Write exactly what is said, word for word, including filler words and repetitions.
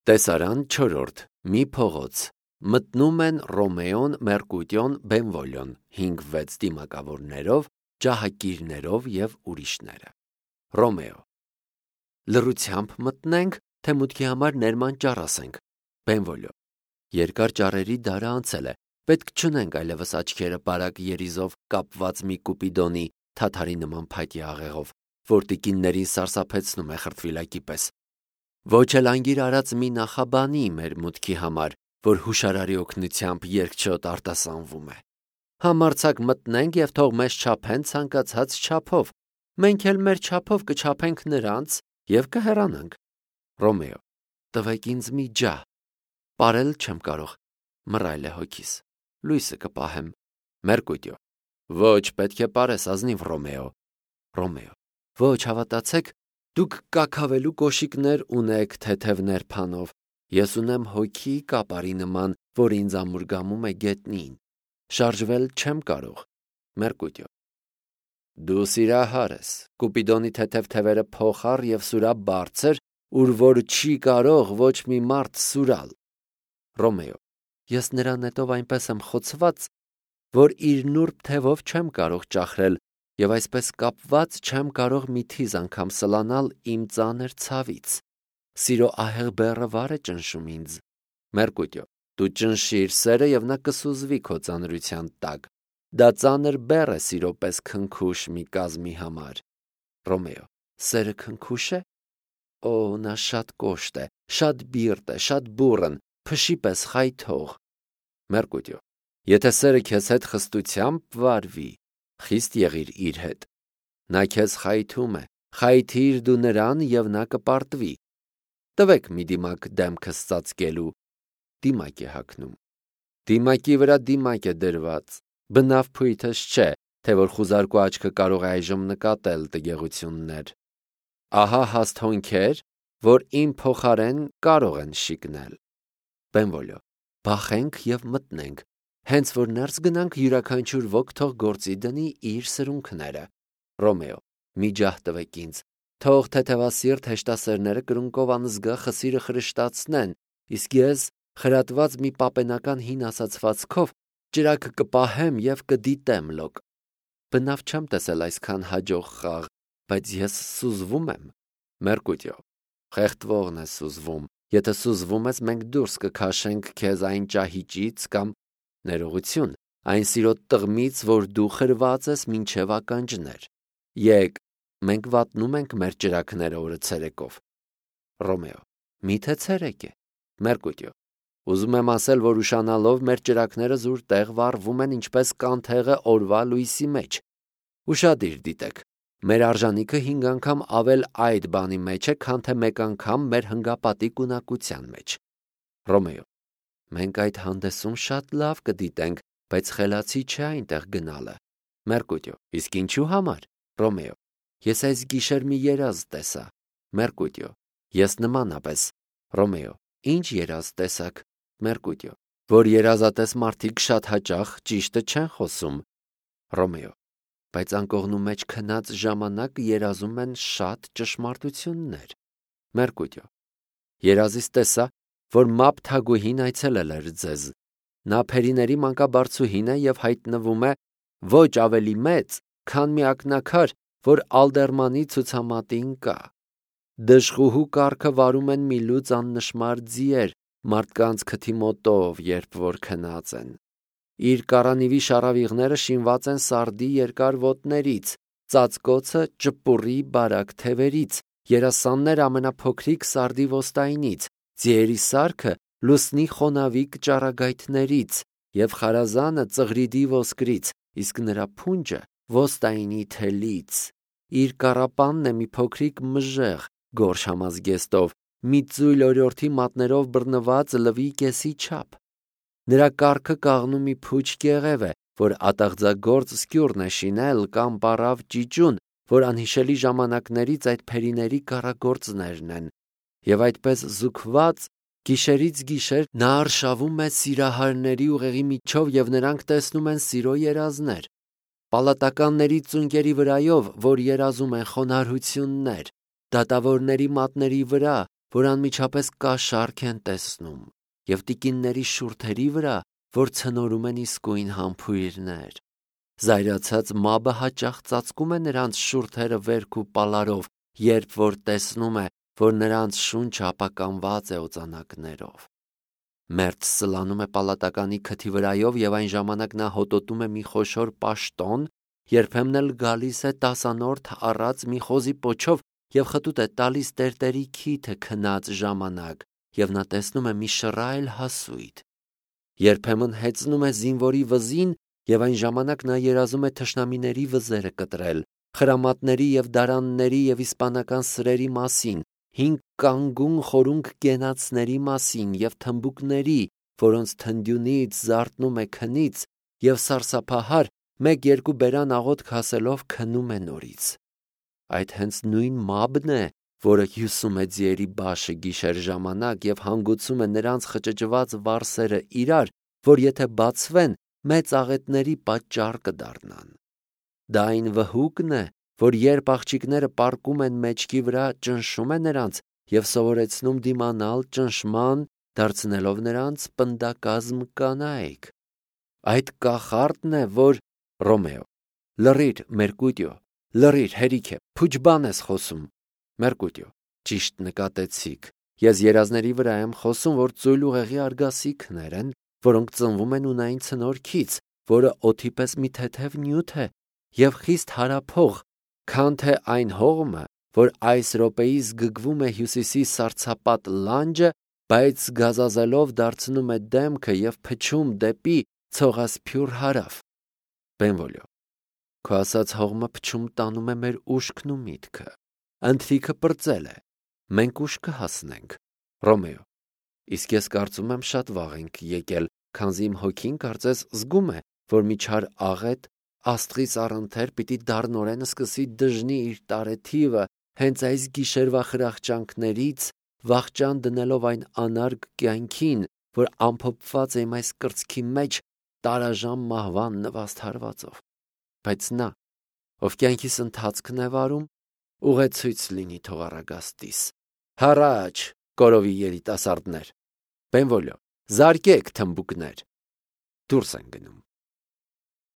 Տեսարան չորրորդ. Մի փողոց։ Մտնում են Ռոմեոն, Մերկուտիոն, Բենվոլիոն, հինգ վեց դիմակավորներով, ջահակիրներով և ուրիշները։ Ռոմեո. Լռությամբ մտնենք, թե մուտքի համար ներման ճառ ասենք։ Բենվոլիո. Երկար ճառերի դարը անցել է, պետք չունենք այլևս աչքերը բարակ երիզով կապված մի կուպիդոնի թաթարի նման փայտի աղեղով, որ տիկիններին սարսափեցնում է խրտվիլակի պես։ Ոչ էլ անգիր արած մի նախաբանի մեր մուտքի համար, որ հուշարարի օգնությամբ երկչոտ արտասանվում է։ Համարձակ մտնենք և թող մեզ չափեն ցանկացած չափով, մենք էլ մեր չափով կչափենք նրանց և կհեռանանք։ Ռոմեո. Տվեք ինձ մի ջահ, պարել չեմ կարող, մռայլ է հոգիս, լույսը կպահեմ։ Մերկուտիո. Ոչ, պետք է պարես, ազնիվ Ռոմեո։ Ռոմեո. Ոչ, հավատացեք, դուք կաքավելու կոշիկներ ունեք թեթև ներփանով, ես ունեմ հոգի կապարի նման, որ ինձ ամուրգամում է գետնին, շարժվել չեմ կարող։ Մերկուտիո. Դու սիրահար ես, կուպիդոնի թեթև թևերը փոխառ և սուրա բարձր, ուր որ չի կարող ոչ մի մարդ սուրալ։ Ռոմեո. Ես նրա նետով այնպես եմ խոցված, որ իր նուրբ թևով չեմ կարող ճախրել և այսպես կապված չեմ կարող մի թիզ անգամ սլանալ իմ ծանր ցավից։ Սիրո ահեղ բեռը վար է ճնշում ինձ։ Մերկուտիո. Դու ճնշիր սերը և նա կսուզվի քո ծանրության տակ։ Դա ծանր բեռ է սիրո պես քնքուշ մի կազմի համար։ Ռոմեո. Սերը քնքուշ է։ Օ, նա շատ կոշտ է, շատ բիրտ է, շատ բուռն, փշի պես խայթող։ Մերկուտիո. Եթե սերը քեզ հետ խստությամբ վարվի, խիստ եղիր իր հետ։ Նա քեզ խայթում է, խայթիր դու նրան և նա կպարտվի։ Տվեք մի դիմակ դեմքս ծածկելու։ Դիմակ է հագնում։ Դիմակի վրա դիմակ է դրված, բնավ փույթս չէ, թե որ խուզարկու աչքը կարող է այժմ նկատել տգեղություններ։ Ահա հաստ հոնքեր, որ իմ փոխարեն կարող են շիկնել։ Բենվոլիո. Բախենք և մտնենք, հենց որ ներս գնանք յուրաքանչյուր ոք թող գործի դնի իր սրունքները։ Ռոմեո. Մի ջահ տվեք ինձ, թող թեթևասիրտ հեշտասերները կրունկով անզգա խսիրը խրշտացնեն, իսկ ես խրատված մի պապենական հին ասացվածքով ճրագ կպահեմ և կդիտեմ լոկ։ Բնավ չեմ տեսել այսքան հաջող խաղ, բայց ես սուզվում եմ։ Մերկուտիո. Խեղդվողն է սուզվում, եթե սուզվում ես, մենք դուրս կքաշենք քեզ այն ճահիճից կամ ներողություն, այն սիրո տղմից, որ դու խրված ես մինչև ականջներ։ Եկ, մենք վատնում ենք մեր ճրագները օրը ցերեկով։ Ռոմեո. Միթե ցերեկ է։ Մերկուտիո. Ուզում եմ ասել, որ ուշանալով մեր ճրագները զուր տեղ վառվում են ինչպես կանթեղը օրվա լույսի մեջ։ Ուշադիր դիտեք, մեր արժանիքը հինգ անգամ ավել այդ բանի մեջ է, քան թե մեկ անգամ մեր հնգապատիկ ունակության մեջ։ Ռոմեո. Մենք այդ հանդեսում շատ լավ կդիտենք, բայց խելացի չէ այնտեղ գնալը։ Մերկուտիո. Իսկ ինչու համար։ Ռոմեո. Ես այս գիշեր մի երազ տեսա։ Մերկուտիո. Ես նմանապես։ Ռոմեո. Ինչ երազ տեսաք։ Մերկուտիո. Որ երազատես մարդիկ շատ հաճախ ճիշտը չեն խոսում։ Ռոմեո. Բայց անկողնու մեջ քնած ժամանակ երազում են շատ ճշմարտություններ։ Մերկուտիո. Երազից տեսա, որ մապ թագուհին այցելել էր ձեզ։ Նա փերիների մանկաբարձուհին է և հայտնվում է ոչ ավելի մեծ, քան մի ակնաքար, որ Ալդերմանի ցուցամատին կա։ Դժխուհու կառքը վարում են մի լուծ աննշմար ձիեր մարդկանց քթի մոտով, երբ որ քնած են։ Իր կառանիվի շառավիղները շինված են սարդի երկար ոտներից, ծածկոցը ճպուռի բարակ թևերից, երասանները ամենափոքրիկ սարդի ոստայնից, ձիերի սարքը լուսնի խոնավիկ ճառագայթներից և խարազանը ծղրիդի ոսկրից, իսկ նրա փունջը ոստայնի թելից։ Իր կառապանն է մի փոքրիկ մժեղ, գորշ համազգեստով, մի ծույլ օրիորդի մատներով բռնված լվի կեսի չափ։ Նրա կառքը կաղնու մի փուչ կեղև է, որ ատաղձագործ սկյուրն է շինել կամ պառավ ճիճուն, որ անհիշելի ժամանակներից այդ փերիների կառագործներն են։ Եվ այդպես զուգված գիշերից գիշեր նա արշավում է սիրահարների ուղեղի միջով և նրանք տեսնում են սիրո երազներ։ Պալատականների ծունկերի վրայով, որ երազում են խոնարհություններ, դատավորների մատների վրա, որ անմիջապես կաշառք են տեսնում, և տիկինների շուրթերի վրա, որ ցնորում են իսկույն համբույրներ։ Զայրացած մաբը հաճախ ծածկում է նրանց շուրթերը վերք ու պալարով, երբ որ տեսնում է, որ նրանց շունչը ապականված է օծանակներով։ Մերձ սլանում է պալատականի քթի վրայով և այն ժամանակ նա հոտոտում է մի խոշոր պաշտոն, երբեմն էլ գալիս է տասանորդ առած մի խոզի պոչով և խտուտ է տալիս տերտերի քիթը քնած ժամանակ, և նա տեսնում է մի շռայլ հասույթ։ Երբեմն հեծնում է զինվորի վզին և այն ժամանակ նա երազում է թշնամիների վզերը կտրել, խրամատների և դարանների և իսպանական սրերի մասին, հինգ կանգուն խորունգ կենացների մասին և թմբուկների, որոնց թնդյունից զարթնում է քնից, և սարսափահար մեկ-երկու բերան աղոթք ասելով քնում է նորից։ Այդ հենց նույն մաբն է, որը հյուսում է ձիերի բաշը գիշեր ժամանակ և հանգուցում է նրանց խճճված վարսերը իրար, որ եթե բացվեն, մեծ աղետների պատճառ կդառնան։ Դա այն վհուկն է, որ երբ աղջիկները պառկում են մեջքի վրա, ճնշում է նրանց և սովորեցնում դիմանալ ճնշման, դարձնելով նրանց պնդակազմ կանայք։ Այդ կախարդն է, որ… Ռոմեո. Լռիր, Մերկուտիո, լռիր, հերիք է, փուչ բան ես խոսում։ Մերկուտիո. Ճիշտ նկատեցիք, ես երազների վրա եմ խոսում, որ ծույլ ուղեղի արգասիքներ են, որոնք ծնվում են ունային ցնորքից, որը օդի պես մի թեթև նյութ է և խիստ հարափող, քան թե այն հողմը, որ այս րոպեիս գգվում է հյուսիսի սառցապատ լանջը, բայց գազազելով դարձնում է դեմքը և փչում դեպի ցողասփյուռ հարավ։ Բենվոլիո. Քո ասած հողմը փչում տանում է մեր ուշքն ու միտքը։ Ընթրիքը պրծել է, մենք ուշ կհասնենք։ Ռոմեո. Իսկ ես կարծում եմ շատ վաղ ենք եկել, քանզի իմ հոգին կարծես զգում է, որ մի չար աղետ աստղից առընթեր պիտի դառնորեն սկսի դժնի իր տարեթիվը հենց այս գիշերվա խրախճանքներից, վախճան դնելով այն անարգ կյանքին, որ ամփոփված է իմ այս կրծքի մեջ տարաժամ մահվան նվաստ հարվածով։ Բայց նա, ով կյանքիս ընթացքն է վարում, ուղեցույց լինի թող առագաստիս։ Հառաչ, կորովի երիտասարդներ։ Բենվոլիո. Զարկեք թմբուկներ։ Դուրս են գնում։